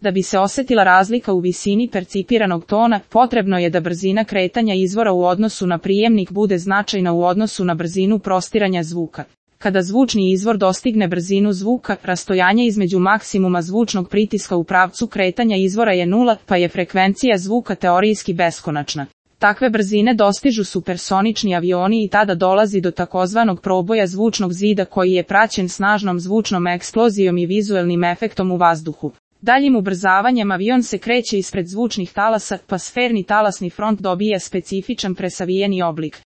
Da bi se osetila razlika u visini percipiranog tona, potrebno je da brzina kretanja izvora u odnosu na prijemnik bude značajna u odnosu na brzinu prostiranja zvuka. Kada zvučni izvor dostigne brzinu zvuka, rastojanje između maksimuma zvučnog pritiska u pravcu kretanja izvora je 0, pa je frekvencija zvuka teorijski beskonačna. Takve brzine dostižu supersonični avioni i tada dolazi do takozvanog proboja zvučnog zida koji je praćen snažnom zvučnom eksplozijom i vizuelnim efektom u vazduhu. Daljim ubrzavanjem avion se kreće ispred zvučnih talasa, pa sferni talasni front dobija specifičan presavijeni oblik.